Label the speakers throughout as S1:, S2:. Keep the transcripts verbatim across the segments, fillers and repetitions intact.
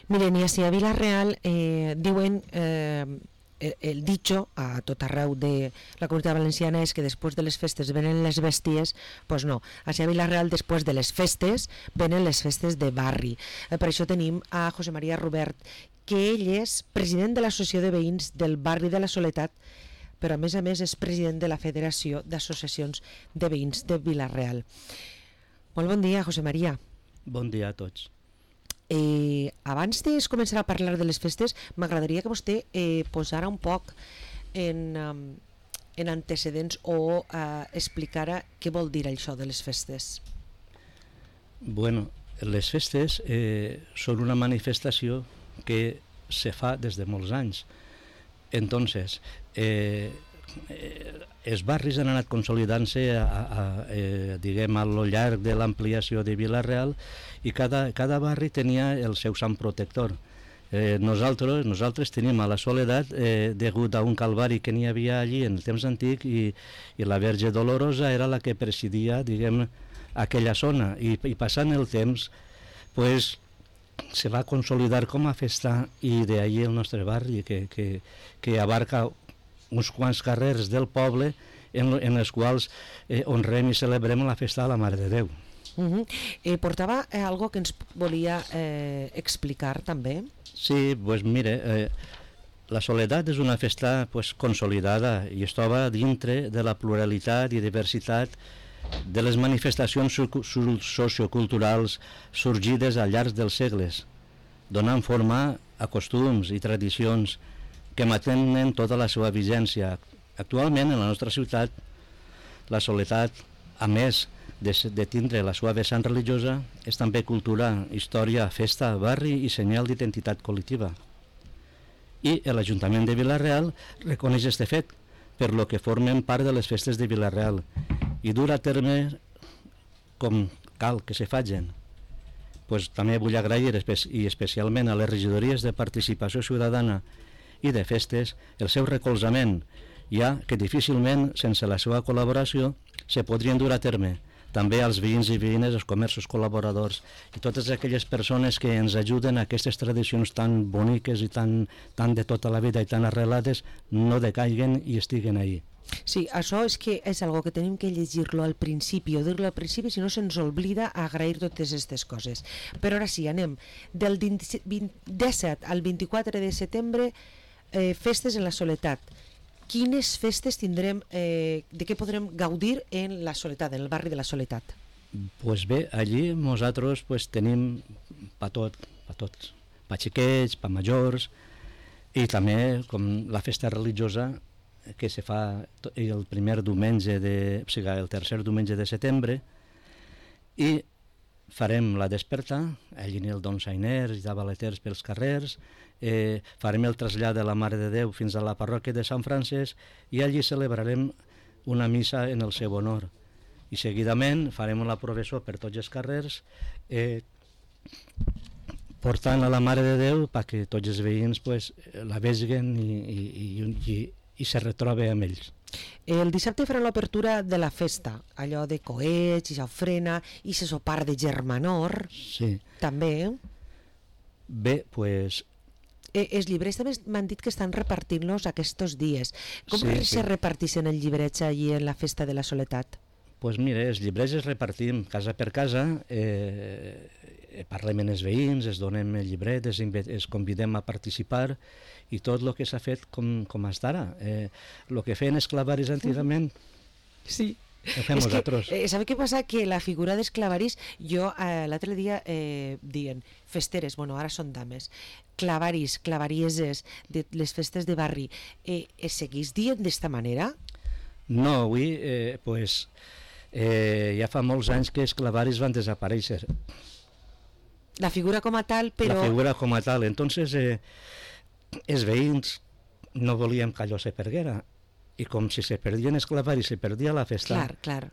S1: Miren, i així a Vila-real eh, diuen, eh, el dicho a tot arreu de la comunitat valenciana és que després de les festes venen les bèsties. Pues no, així a Vila-real després de les festes venen les festes de barri. Eh, per això tenim a José María Rubert, que ell és president de l'Associació de Veïns del barri de la Soledat, però a més a més és president de la Federació d'Associacions de Veïns de Vila-real. Molt bon dia, José María.
S2: Bon dia a tots.
S1: Eh, abans de començar a parlar de les festes, m'agradaria que vostè eh, posara un poc en, um, en antecedents o eh, explicara què vol dir això de les festes.
S2: Bueno, les festes eh, són una manifestació que se fa des de molts anys. Entonces, eh, eh, els barris han anat consolidant-se a, a, a, eh, diguem, a lo llarg de l'ampliació de Vila-real, i cada, cada barri tenia el seu sant protector. Eh, nosaltres, nosaltres tenim a la Soledat, eh, degut a un calvari que n'hi havia allí en el temps antic, i, i la Verge Dolorosa era la que presidia, diguem, aquella zona, i, i passant el temps, pues, se va consolidar com a festa, i d'ahí el nostre barri, que, que, que abarca uns quants carrers del poble en, en els quals eh, honrem i celebrem la festa de la Mare de Déu.
S1: Uh-huh. eh, portava eh, algo que ens volia eh, explicar també?
S2: Sí, pues mire, eh, la Soledat és una festa pues, consolidada i es troba dintre de la pluralitat i diversitat de les manifestacions socioculturals sorgides al llarg dels segles, donant forma a costums i tradicions que mantenen tota la seva vigència. Actualment, en la nostra ciutat, la Soledat, a més de, de tindre la seva vessant religiosa, és també cultura, història, festa, barri i senyal d'identitat col·lectiva. I l'Ajuntament de Vila-real reconeix aquest fet, per lo que formen part de les festes de Vila-real, i dur a terme com cal que se facin. Pues, també vull agrair espe i especialment a les regidories de participació ciutadana i de festes el seu recolzament, ja que difícilment sense la seva col·laboració se podrien dur a terme. També als veïns i veïnes, els comerços col·laboradors i totes aquelles persones que ens ajuden a aquestes tradicions tan boniques i tan, tan de tota la vida i tan arrelades no decaiguen i estiguen ahí.
S1: Sí, això és que és algo que tenim que llegir-lo al principi o dir-lo al principi, si no se'ns oblida a agrair totes aquestes coses. Però ara sí, anem del disset al vint-i-quatre de setembre, eh, festes en la Soledat. Quines festes tindrem, eh, de què podrem gaudir en la Soledat, en el barri de la Soledat?
S2: Pues bé, allí nosaltres pues, tenim pa tot, pa tots, pa xiquets, pa majors, i també com la festa religiosa que se fa el primer diumenge de, o sigui, el tercer diumenge de setembre, i farem la desperta, allí el donsainers i de baleters pels carrers, eh, farem el trasllat de la Mare de Déu fins a la parròquia de Sant Francesc, i allí celebrarem una missa en el seu honor. I seguidament farem la processó per tots els carrers, eh, portant a la Mare de Déu perquè tots els veïns pues, la vegin i, i, i, i, i se retrobe amb ells.
S1: El dissabte farà l'obertura de la festa, allò de coets i xafrena i se sopar de germanor.
S2: Sí.
S1: També.
S2: Bé, pues...
S1: Eh, els llibrets també m'han dit que estan repartint-los aquests dies. Com
S2: sí,
S1: se
S2: sí.
S1: repartissin els llibrets allí en la festa de la Soledat?
S2: Pues mire, els llibrets els repartim casa per casa, eh, parlem amb els veïns, es donem el llibret, es, es convidem a participar, i tot el que s'ha fet com, com hasta ara. Eh, el que feien els clavaris antigament,
S1: sí.
S2: ho fem
S1: és
S2: nosaltres.
S1: Que, eh, ¿sabe què passa? Que la figura dels clavaris, jo eh, l'altre dia eh, dient festeres, bueno, ara són dames, clavaris, clavarieses, de les festes de barri, eh, es seguís dient d'esta manera?
S2: No, avui, eh, pues, eh, ja fa molts anys que els clavaris van desaparèixer.
S1: La figura com a tal, però...
S2: La figura com a tal. Entonces, eh, els veïns no volíem que allò se perguera. I com si se perdien els clavaris, se perdia la festa.
S1: Clar, clar.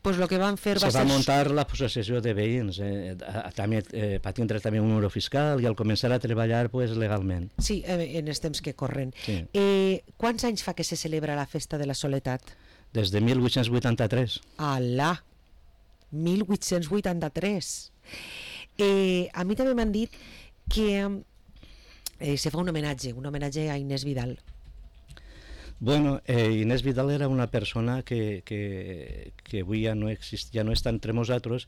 S1: Pues lo que van fer
S2: se
S1: va,
S2: va
S1: ser...
S2: muntar la possessió de veïns, eh, també, eh, per tindre també un número fiscal i al començar a treballar pues, legalment.
S1: Sí, eh, en els temps que corren.
S2: Sí.
S1: Eh, quants anys fa que se celebra la festa de la Soledat?
S2: Des de mil vuit-cents vuitanta-tres.
S1: Alà! mil vuit-cents vuitanta-tres. Eh, a mi també m'han dit que eh, se fa un homenatge, un homenatge a Inés Vidal.
S2: Bueno, eh, Inés Vidal era una persona que, que, que avui ja no, exist, ja no està entre nosaltres,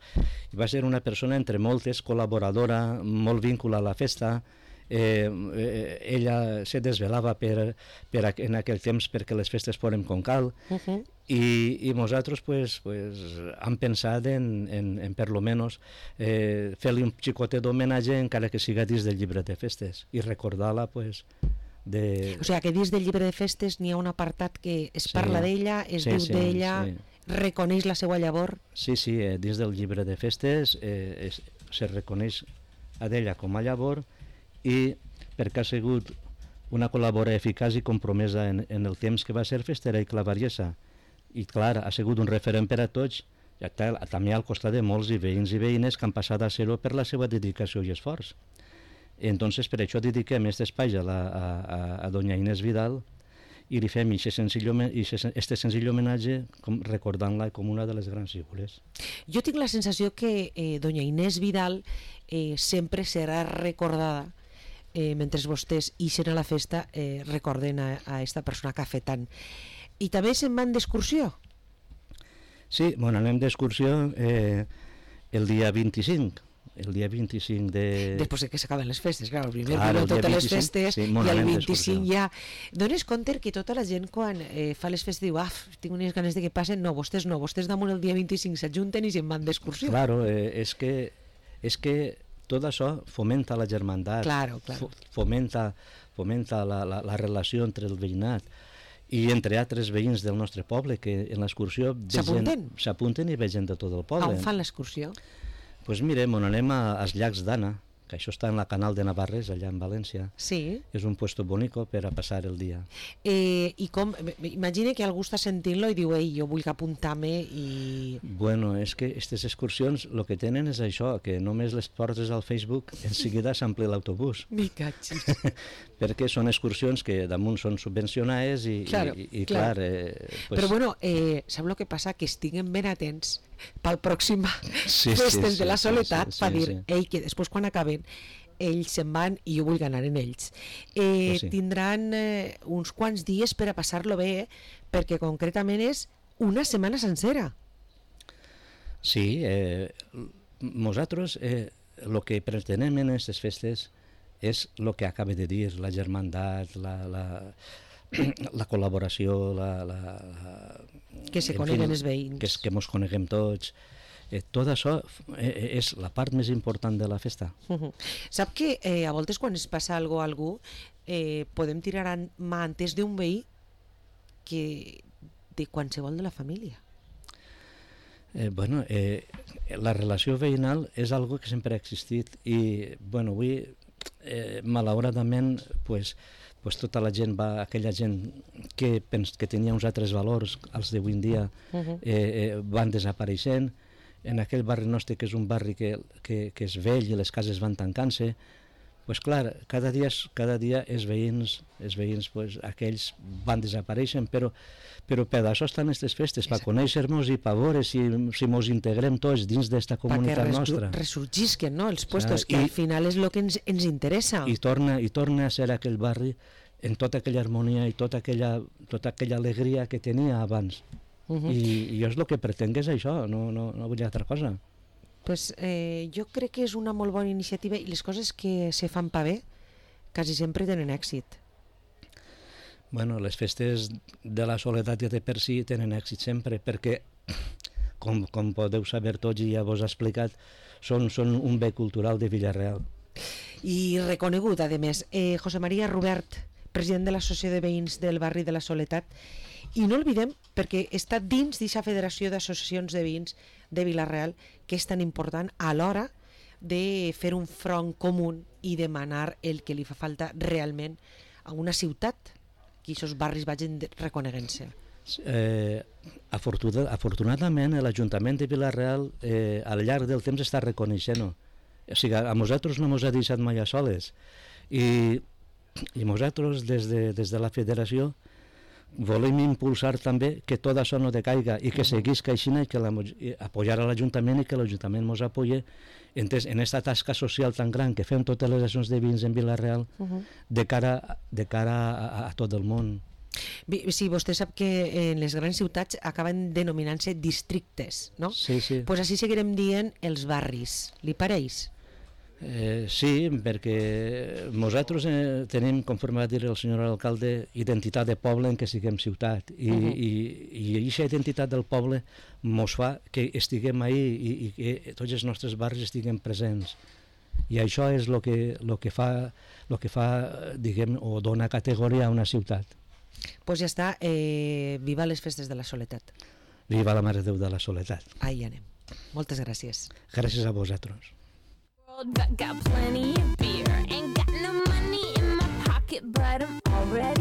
S2: i va ser una persona entre moltes, col·laboradora, molt vinculada a la festa. Eh, eh, ella se desvelava per, per a, en aquell temps perquè les festes foren com cal, uh-huh. i, i nosaltres pues, pues, hem pensat en, en, en per lo menos eh, fer-li un xicotet d'homenatge encara que siga dins del llibre de festes i recordar-la pues, de...
S1: O sigui, que dins del llibre de festes n'hi ha un apartat que es
S2: sí,
S1: parla d'ella, es
S2: sí,
S1: diu
S2: sí,
S1: d'ella,
S2: sí.
S1: reconeix la seva llavor.
S2: Sí, sí, eh, dins del llibre de festes eh, es, se reconeix a d'ella com a llavor, i perquè ha sigut una col·laboradora eficaç i compromesa en, en el temps que va ser festera i clavariesa, i clar, ha sigut un referent per a tots, ja està, també al costat de molts i veïns i veïnes que han passat a ser-ho per la seva dedicació i esforç. Entonces, per això dediquem aquest espai a, la, a, a, a doña Inés Vidal i li fem aquest senzill, este senzill homenatge com, recordant-la com una de les grans figures.
S1: Jo tinc la sensació que eh, doña Inés Vidal eh, sempre serà recordada eh, mentre vostès ixen a la festa eh, recorden a, a esta persona que ha fet tant. I també se'n van d'excursió?
S2: Sí, bueno, anem d'excursió eh, el dia vint-i-cinc. El dia vint-i-cinc de...
S1: Després que s'acaben les festes, clar, el primer
S2: claro,
S1: dia totes les festes,
S2: sí,
S1: i el vint-i-cinc ja... Dones compte que tota la gent quan eh, fa les festes diu, ah, tinc unes ganes de que passen, no, vostès no, vostès damunt el dia vint-i-cinc s'ajunten i se'n van d'excursió.
S2: Claro, eh, és que és que tot això fomenta la germandat,
S1: claro, claro.
S2: fomenta, fomenta la, la, la relació entre el veïnat i entre altres veïns del nostre poble que en l'excursió
S1: s'apunten
S2: s'apunten i ve gent de tot el poble.
S1: On fan l'excursió?
S2: Doncs pues mire, on anem a, als llacs d'Anna, que això està en la Canal de Navarres, allà en València.
S1: Sí.
S2: És un puesto bonico per a passar el dia.
S1: Eh, I com, imagina que algú està sentint-lo i diu, ei, jo vull apuntar-me i...
S2: Bueno, és que aquestes excursions el que tenen és això, que només les portes al Facebook, en seguida s'ampli l'autobús.
S1: Mi catxis.
S2: Perquè són excursions que damunt són subvencionades i,
S1: claro,
S2: i, i
S1: clar.
S2: clar... Eh,
S1: pues... Però bueno, eh, sap el que passa? Que estiguen ben atents pel pròxim
S2: sí,
S1: festes
S2: sí,
S1: de la soledat
S2: sí, sí,
S1: per
S2: sí,
S1: dir,
S2: sí.
S1: ei, que després quan acaben ells se'n van i jo vull anar en ells. Eh,
S2: pues sí.
S1: Tindran eh, uns quants dies per a passar-lo bé, eh? Perquè concretament és una setmana sencera.
S2: Sí, eh, nosaltres el eh, que pretenem en aquestes festes és el que acaba de dir, la germandat, la, la, la col·laboració, la, la, la,
S1: que se coneguen els veïns.
S2: Que, que mos coneguem tots. Eh, tot això eh, és la part més important de la festa.
S1: Uh -huh. Sap que eh, a voltes quan es passa alguna cosa a algú eh, podem tirar a mà antes d'un veí que de qualsevol de la família.
S2: Eh, bueno, eh, la relació veïnal és algo que sempre ha existit i, bueno, avui, eh, malauradament, pues, pues tota la gent va, aquella gent que, pens, que tenia uns altres valors, els d'avui en dia, uh-huh. eh, eh, van desapareixent. En aquell barri nostre, que és un barri que, que, que és vell i les cases van tancant-se, pues clar, cada dia, cada dia els veïns, els veïns pues, aquells van desapareixent, però, però per això estan aquestes festes, per conèixer-nos i per veure si, si mos integrem tots dins d'esta comunitat
S1: res,
S2: nostra.
S1: Perquè ressorgisquen, no?, els puestos,
S2: ah,
S1: que
S2: i,
S1: al final és el que ens, ens interessa.
S2: I torna, I torna a ser aquell barri en tota aquella harmonia i tota aquella, tota aquella alegria que tenia abans. Uh -huh. I, I jo és el que pretenc és això, no, no, no vull altra cosa.
S1: Pues, eh, jo crec que és una molt bona iniciativa i les coses que se fan pa bé quasi sempre tenen èxit.
S2: Bueno, les festes de la soledat ja de per si tenen èxit sempre perquè, com, com podeu saber tots i ja vos he explicat, són, són un bé cultural de Vila-real.
S1: I reconegut, a més. Eh, José María Rubert, president de l'Associació de Veïns del barri de la Soledat, i no oblidem, perquè està dins d'aquesta federació d'associacions de veïns de Vila-real, que és tan important a l'hora de fer un front comú i demanar el que li fa falta realment a una ciutat, que aquests barris vagin reconeguent-se.
S2: Eh, afortunad, afortunadament l'Ajuntament de Vila-real eh, al llarg del temps està reconeixent-ho. O sigui, a nosaltres no ens ha deixat mai a soles i, i nosaltres des de, des de la federació volem impulsar també que tot això no decaiga i que seguís caixina i que la, i apoyar a l'Ajuntament i que l'Ajuntament ens apoye entès, en aquesta tasca social tan gran que fem totes les associacions de veïns en Vila-real uh -huh. de cara, de cara a, a tot el món.
S1: Sí, vostè sap que en les grans ciutats acaben denominant-se districtes, no?
S2: Sí, sí.
S1: Doncs pues així seguirem dient els barris. Li pareix?
S2: Eh, sí, perquè nosaltres eh, tenim, conforme va dir el senyor alcalde, identitat de poble en què siguem ciutat. I, uh -huh. i, i aquesta identitat del poble mos fa que estiguem ahí i, i que tots els nostres barris estiguem presents. I això és el que, lo que fa, lo que fa diguem, o dona categoria a una ciutat.
S1: Doncs pues ja està, eh, viva les festes de la Soledat.
S2: Viva la Mare de Déu de la Soledat.
S1: Ahí anem. Moltes gràcies.
S2: Gràcies a vosaltres.
S3: Got, got plenty of beer, ain't got no money in my pocket, but I'm already